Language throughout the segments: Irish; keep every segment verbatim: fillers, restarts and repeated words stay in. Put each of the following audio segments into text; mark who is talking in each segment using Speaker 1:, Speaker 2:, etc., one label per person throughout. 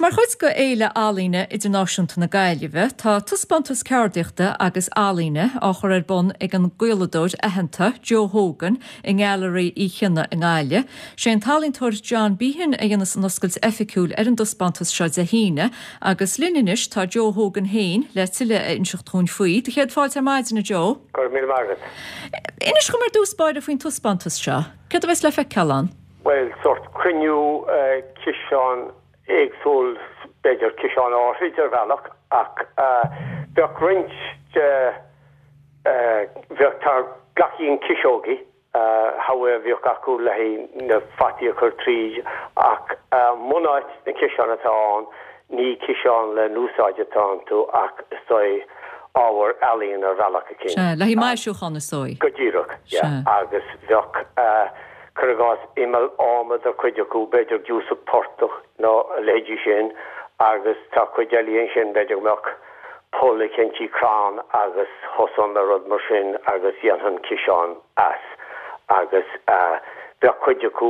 Speaker 1: mar chuid de Fhéile Ealaíne Idirnáisiúnta na Gaillimhe, tá taispeántas ceardaíochta agus ealaíne á chur ar bun ag an gcaoladóir aitheanta Joe Hogan i nGailearaí Uí Chionnaith i nGaillimh. Sé an t-ealaíontóir John Behan a dhéanfas an oscailt oifigiúil ar an dtaispeántas seo Dé hAoine, agus linn anois tá Joe Hogan féin le tuilleadh a inseacht dúinn faoi. Do chéad fáilte ar maidin, a Joe.
Speaker 2: Go raibh míle maith agat.
Speaker 1: Inis dom ar dtús báire faoin taispeántas seo. Céard a bheas le feiceáil ann?
Speaker 2: Bhuel, sórt cruinniú ciseán éagsúil, b'fhéidir ciseán áithrid ar bhealach, ach bheadh roinnt de, bheadh, tá glaicín ciseogaí, how a bhíodh acu le haghaidh na fataí a chur tríd, ach bunáit na ciseán atá ann, ní ciseán le n-úsáid atá iontu ach is dóigh ábhar ealaíon ar bhealach eicínt.
Speaker 1: Sea, le haghaidh maisiúchán is dóigh.
Speaker 2: Go díreach, yeah. Agus bheadh, cuir i gcás, imeall adhmad ar chuid acu, b'fhéidir giúsach portach nó a leithéidí sin, agus tá cuid eile ansin, b'fhéidir go mbeadh poll eicínt i gcrann agus thosóinn le rud mar sin agus dhéanfainn ciseán as. Agus bheadh cuid acu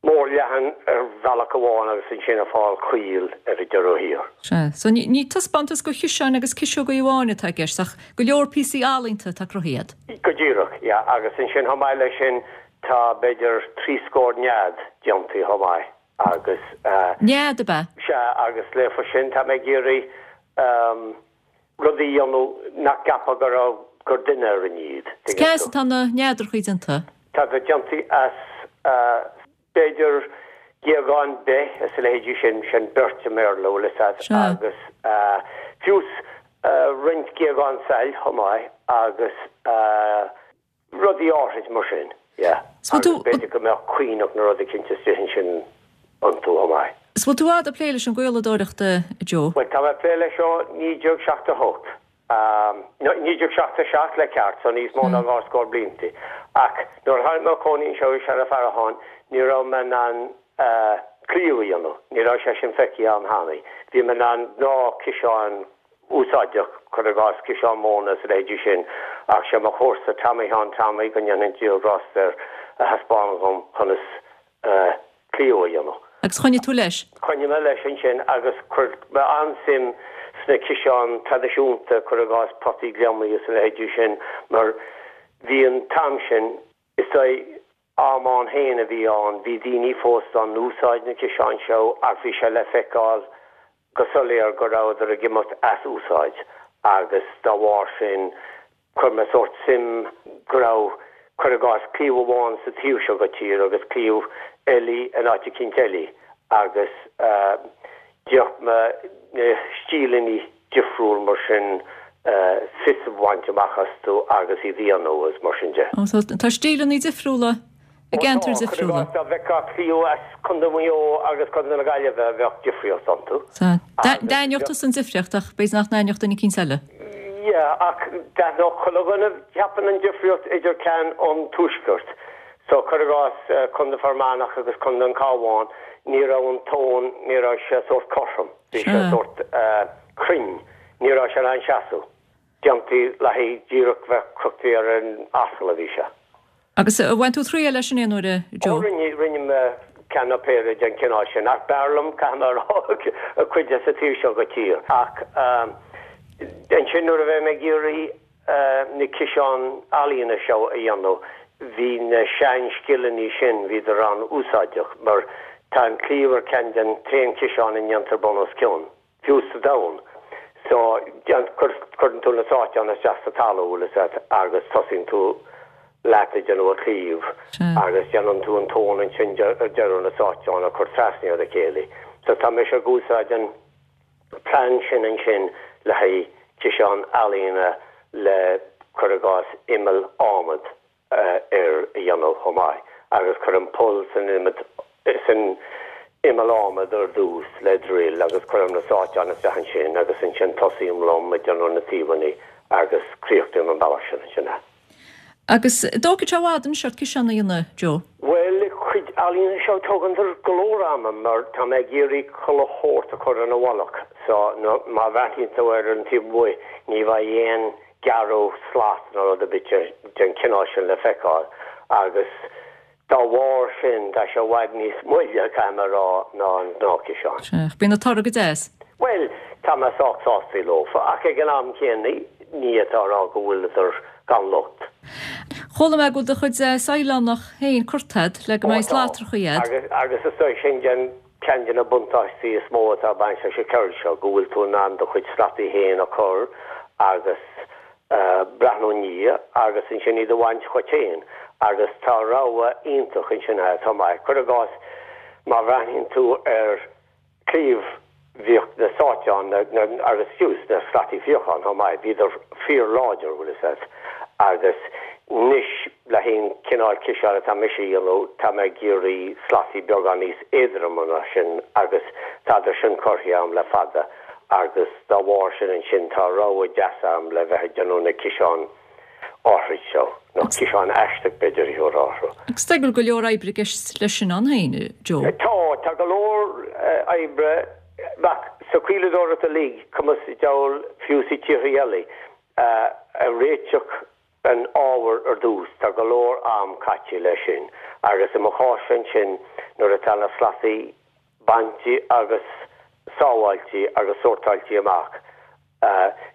Speaker 2: mór leathan ar bhealach amháin agus ansin ag fáil caol ar an deireadh thiar.
Speaker 1: Sea. So ní ní taispeántas de chiseáin agus ciseogaí amháin atá i gceist ach go leor píosaí ealaíonta atá cruthaithe agat.
Speaker 2: Go díreach, yeah. Agus ansin chomh maith leis sin tá b'fhéidir trí scór nead déanta chomh maith agus.
Speaker 1: Nead, ab ea?
Speaker 2: Sea, agus leofa sin tá mé ag iarraidh rudaí a dhéanamh nach gceapfá go raibh, gur duine a rinne iad,
Speaker 1: tuigeann Cé as atá na neadrachaí déanta?
Speaker 2: Tá siad déanta as b'fhéidir géagán beith is a leithéidí sin, sin birch i mBéarla, bhfuil fhios agat, agus fiús roinnt géagán sail chomh maith agus rudaí áithrid mar sin, yeah. Agus b'fhéidir go mbeadh caonach nó rud eicínt istigh ansin iontu chomh maith.
Speaker 1: Is bhfuil tú fhad ag plé leis an gcaoladóireacht, a Joe?
Speaker 2: Bhuel, tá mé ag plé leis ó naoi déag seachtó a hocht. naoi déag seachtó a seacht le ceart, so níos mó ná dhá scór blianta. Ach nuair a tháinig mé a chónaí anseo i Seanadh Farracháin, ní raibh mé in ann claíomh a dhéanamh, ní raibh sé sin feicthe a'm cheana. Bhí mé in ann gnáth-ciseáin úsáideach, cuir i gcás ciseán móna is a leithéidí sin, ach sé mo chomharsa Tommy Sheáin Tommy, go ndéanfaidh Dia grásta air, a thaispeáin dhom conas claíomh a dhéanamh.
Speaker 1: Agus choinnigh tú leis?
Speaker 2: Choinnigh mé leis ansin agus chuir mé an-suim sna ciseáin traidisiúnta, cuir i gcás potaí gliomaigh is a leithéidí sin, mar bhí an t-am sin, is dóigh, am ann féin a bhí ann, bhí daoine fós dá n-úsáid na ciseáin seo ach bhí sé le feiceáil go soiléir go rabhadar ag imeacht as úsáid agus dá bharr sin chuir mé sórt suim go raibh, cuir i gcás, claíomh amháin sa taobh seo go tír agus claíomh eile in áit eicínt eile agus d'fhéach mé na stíleanna difriúil mar sin fios a bhaint amach astu agus iad a dhéanamh agus mar sin de.
Speaker 1: So tá stíleanna difriúla i gceantair difriúla.
Speaker 2: Dá bhfeicfeá claíomh as Contae Mhaigh Eo agus Contae na Gaillimhe bheadh difríocht iontu.
Speaker 1: Sea. D'aithneodh tusa an difríocht ach b'fhéidir nach n-aithneodh duine eicínt eile.
Speaker 2: Yeah, ach d'aithneodh chuile dhuine, cheapfainn, an difríocht idir ceann ón tuaisceart. So, cuir i gcás, Contae Fear Manach agus Contae an Chabháin, ní raibh an tóin, ní raibh sé sórt cothrom, bhí sé sórt cruinn, ní raibh sé in ann seasamh. Déanta le haghaidh díreach bheith crochta ar an asal a bhí sé.
Speaker 1: Agus ar bhain tú triail as sin aon uair, a Joe?
Speaker 2: Ó rinne, rinne mé ceann nó péire den chineál sin, ach b'fhearr liom, caithfidh mé a rá, cuid de sa taobh seo go tír. Ach ansin nuair a bhí mé ag iarraidh na ciseáin ealaíne seo a dhéanamh, bhí na sean-scileanna sin, bhíodar an-úsáideach, mar tá an claíomh ar ceann den t-aon ciseán a ndéantar bun os cionn. fiú sa domhan. So, cuireann tú na sáiteáin isteach sa talamh, bhfuil fhios agat, agus tosaíonn tú leat ag déanamh an claíomh agus déanann tú an tóin ansin ar deireadh na sáiteáin a chur trasna ar a chéile. So tá mise ag úsáid an plean sin ansin le haghaidh ciseán ealaíne le, cuir i gcás, imeall adhmad. air a dhéanamh chomh maith agus cuirim poll san san imeall adhmad ar dtús le druil agus cuirim na sáiteáin isteach ansin agus ansin tosaím liom ag déanamh na taobhanna agus críochnaím an bealach sin ansin é.
Speaker 1: Agus an dtógfaidh sé i bhfad anois ort ciseán a dhéanamh, Joe?
Speaker 2: Bhuel, cuid ealaíne seo tógann go leor ama mar tá mé ag iarraidh chuile shórt a chur ina mhullach so má bhreathnaíonn tú ar an taobh amuigh ní bheidh aon gearradh slat nó rud ar bith den chineál sin le feiceáil agus dá bharr sin tá sé i bhfad níos moille, caithfidh mé a rá, ná an gnáthchiseán.
Speaker 1: Sea, bíonn an toradh go deas.
Speaker 2: Bhuel, tá mé sách sásta leofa, ach ag an am céanna ní fhéadfá a rá go bhfuileadar gan locht.
Speaker 1: Chuala mé go bhfuil do chuid saighleánach féin curtha agat le go mbeidh slatrachaí agat.
Speaker 2: Agus, agus is dóigh sin den ceann de na buntáistí is mó atá ag baint leis an cheird seo, go bhfuil tú in ann do chuid slataí féin a chur agus breathnú ina ndiaidh agus ansin iad a bhaint chugat féin agus tá rogha iontach ansin atá maith. Cuir i gcás, má bhreathnaíonn tú ar chliabh, bhíodh na sáiteáin agus fiú na slataí fíocháin chomh maith, bhíodar fíorláidir, bhfuil fhios agat, agus anois le haghaidh an cineál ciseáin atá mise a dhéanamh, tá mé ag iarraidh slataí beagán níos éadroime ná sin agus tádar sin curtha agam le fada. Agus dá bharr sin ansin tá rogha deas agam le bheith ag déanamh na ciseáin áithrid seo, nó ciseáin aisteach b'fhéidir a thabharfá orthu.
Speaker 1: Agus tá go leor oibre i gceist leis sin ann féin, Joe?
Speaker 2: Tá, tá go leor oibre, ach sa chaoladóireacht uilig, cuma sa diabhal, fiú sa tíortha eile, ag réiteach an ábhair ar dtús, tá go leor am caite leis sin. Agus i mo chás ansin, nuair atá na slataí bainte agus sábháilte agus sórtáilte amach.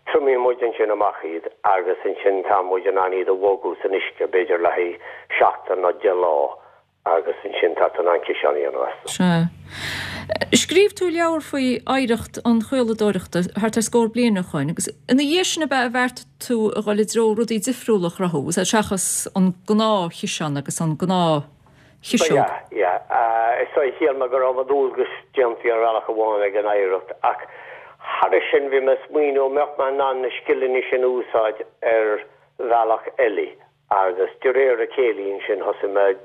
Speaker 2: Triomaíonn muid ansin amach iad agus ansin tá muid in ann iad a bhogadh san uisce, b'fhéidir le haghaidh seachtain nó deich lá agus ansin tá tú in ann ciseán a dhéanamh astu.
Speaker 1: Sea. Scríobh tú leabhar faoi oidhreacht an chaoladóireachta thart ar scór bliain ó shoin agus ina dhiaidh sin ab ea a bheartaigh tú a dhul i dtreo rudaí difriúla a chruthú, seachas an gnáthchiseán agus an gnáth.
Speaker 2: Ba ea, yeah. Is dóigh, shíl mé go raibh mo dhualgas déanta ar bhealach amháin ag an oidhreacht, ach thairis sin bhí mé ag smaoineamh an mbeadh mé in ann na scileanna sin a úsáid ar bhealach eile agus de réir a chéile ansin thosaigh mé ag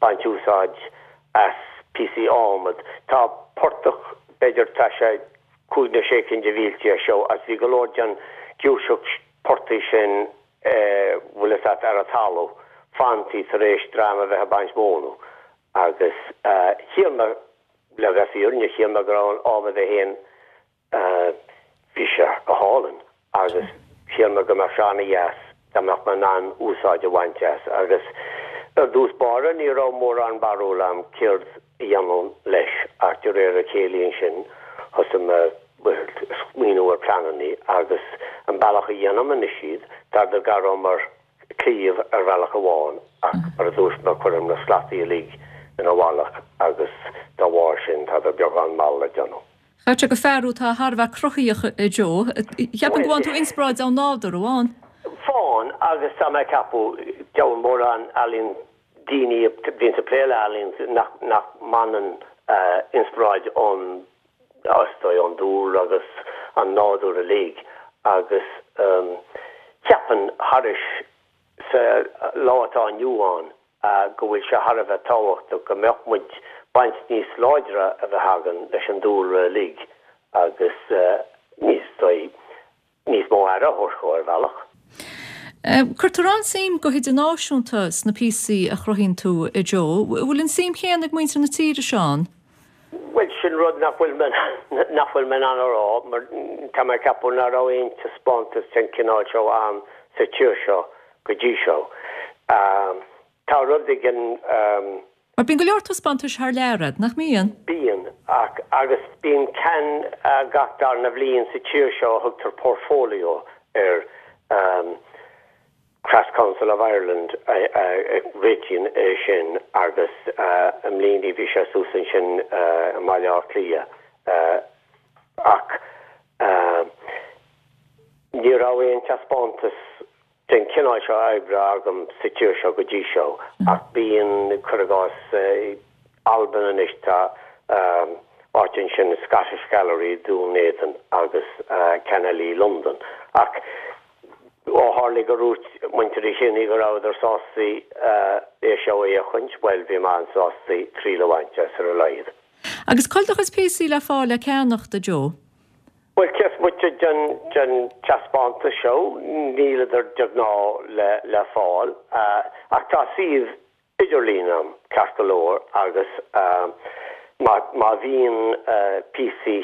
Speaker 2: baint úsáid as píosaí adhmad. Tá portach, b'fhéidir, tá sé cúig nó sé cinn de mhílte as seo agus bhí go leor den ghiúirseacht portaigh sin bhfuil fhios agat, ar an talamh, fantaí tar éis dream a bheith ag baint móna agus shíl mé, le bheith fírinneach, shíl mé go raibh an adhmad é féin, bhí sé go hálainn agus shíl mé go mbeadh sé ana-dheas dá mbeadh mé in ann úsáid a bhaint as agus ar dtús báire ní raibh mórán barúil agam céard a dhéanfainn leis ach de réir a chéile ansin thosaigh mé smaoineamh ar pleananna agus an bealach a dhéanaim anois iad, tá gar dom mar chliabh ar bhealach amháin ach mar a dúirt mé cuirim na slataí uilig ina mhullach agus dá bharr sin tádar beagán mall le déanamh.
Speaker 1: Caithfidh sé gur fear thú atá thar a bheith cruthaíoch a Joe. Cheapfainn go bhfaigheann tú inspioráid ón nádúr amháin.
Speaker 2: Faigheann agus tá mé ag ceapadh deabhal mórán ealaíon daoine a bhíonns ag plé le healaíon nach nach mbaineann inspioráid ón is dóigh, ón dúlra agus an nádúr uilig agus cheapfainn thairis sa lá atá inniu ann go bhfuil sé thar a bheith tábhachtach go mbeadh muid baint níos láidre a bheith againn leis an dúlra uilig agus níos dóigh níos mó aire a thabhairt dhó ar bhealach.
Speaker 1: Cuirtear an-suim go hidirnáisiúnta sna píosaí a chruthaíonn tú, a Joe. Bhfuil an suim chéanna ag muintir na tíre seo ann?
Speaker 2: Bhuel, sin rud nach bhfuil mé nach bhfuil mé in ann a rá, mar tá mé ag ceapadh nach raibh aon taispeántas den chineál seo ann sa tír seo go dtí seo. Tá rud éigin.
Speaker 1: Mar bíonn go leor taispeántais thar lear a'd, nach mbíonn?
Speaker 2: Bíonn, ach, agus bíonn ceann gach darna bhliain sa tír seo a thugtar Portfolio air, Crafts Council of Ireland a réitíonn é sin agus i mbliana bhí sé suas ansin i mBaile Átha Cliath ach ní raibh aon taispeántas den chineál seo oibre agam sa tír seo go dtí seo, ach bíonn, cuir i gcás, Albain anois, tá áit ansin, Scottish Gallery, Dún Éideann agus ceann eile i Londain. Ach ó tharla gur dhúirt muintir Uí Chionnaith go rabhadar sásta é seo a fhéachaint, bhuel, bhí mé an-sásta triail a bhaint as ar a laghad.
Speaker 1: Agus cá bhfuil do chuid píosaí le fáil le ceannacht, a Joe?
Speaker 2: Bhuel, cé is moite den den taispeántas seo, níleadar de ghnáth le le fáil. Ach tá suíomh idirlín a'm, ceart go leor, agus má má bhíonn píosaí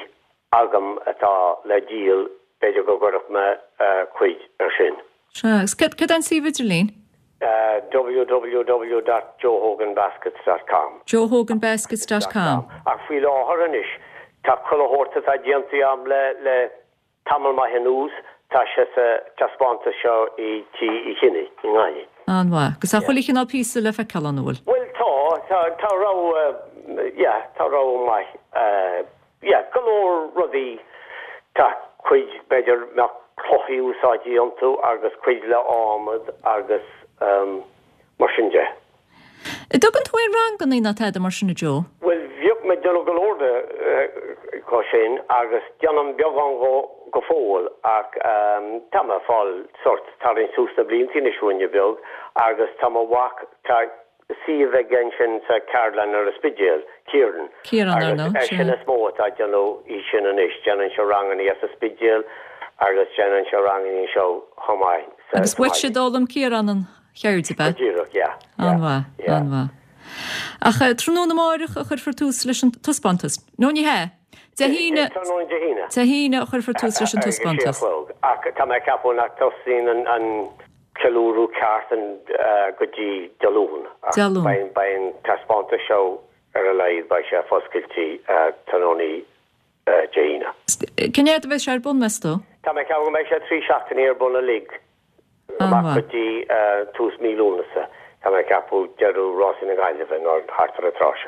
Speaker 2: agam atá le díol, b'fhéidir go gcuirfeadh mé cuid ar sin.
Speaker 1: Sea, agus cad cad é an suíomh idirlín?
Speaker 2: www dot joehoganbaskets dot com.
Speaker 1: joehoganbaskets dot com.
Speaker 2: Ach faoi láthair anois, tá chuile shórt atá déanta agam le le tamall maith anuas, tá sé sa taispeántas seo i Tí Uí Chionnaith i nGaillimh.
Speaker 1: An-mhaith. Agus tá chuile chineál píosa le feiceáil ann, an bhfuil?
Speaker 2: Bhuel tá, tá, tá rogha, yeah, tá rogha maith, yeah, go leor rudaí, tá cuid b'fhéidir mbeadh clocha úsáidte iontu agus cuid le adhmad agus mar sin de.
Speaker 1: An dtugann tú aon ranganna ná tada mar sin a Joe?
Speaker 2: Bhuel bhíodh mé ag déanamh go leor de go sin agus déanaim beagán go go fóill ach tá mé ag fáil sort tarraingt suas na blianta anois ruainne beag agus tá mo mhac tá suíomh aige ansin sa cheardlann ar an Spidéal, Kieran.
Speaker 1: Kieran, ar ndóigh,
Speaker 2: Agus eisean is mó atá ag déanamh í sin anois, déanann sé ranganna as an Spidéal agus déanann sé ranganna anseo chomh maith sa
Speaker 1: Agus uaitse a d'fhoghlaim Kieran an cheird, ab ea?
Speaker 2: Go díreach, yeah, yeah.
Speaker 1: An-mhaith,
Speaker 2: yeah.
Speaker 1: an-mhaith. Ach tráthnóna amárach a chuirfear tús leis an taispeántas. Nó ní hea? Dé hAoine.
Speaker 2: Tráthnóna Dé hAoine.
Speaker 1: Dé hAoine a chuirfear tús leis an
Speaker 2: Ag a sé a
Speaker 1: taispeántas.
Speaker 2: chlog. Ach tá mé ag ceapadh nach dtosaíonn an, an ceiliúradh ceart an, go dtí Dé Luain. Ach
Speaker 1: Dé Luain.
Speaker 2: beidh, beidh an taispeántas seo ar a laghad, beidh sé foscailte tráthnóna Dé hAoine.
Speaker 1: Cén fhad a bheidh sé ar bun, meas tú?
Speaker 2: Tá mé ag ceapadh go mbeidh sé trí seachtainí ar bun uilig. Amach
Speaker 1: An-mhaith.
Speaker 2: go dtí tús mí Lúnasa. Tá mé ag ceapadh deireadh Rásaí na Gaillimhe nó thart ar an tráth sin.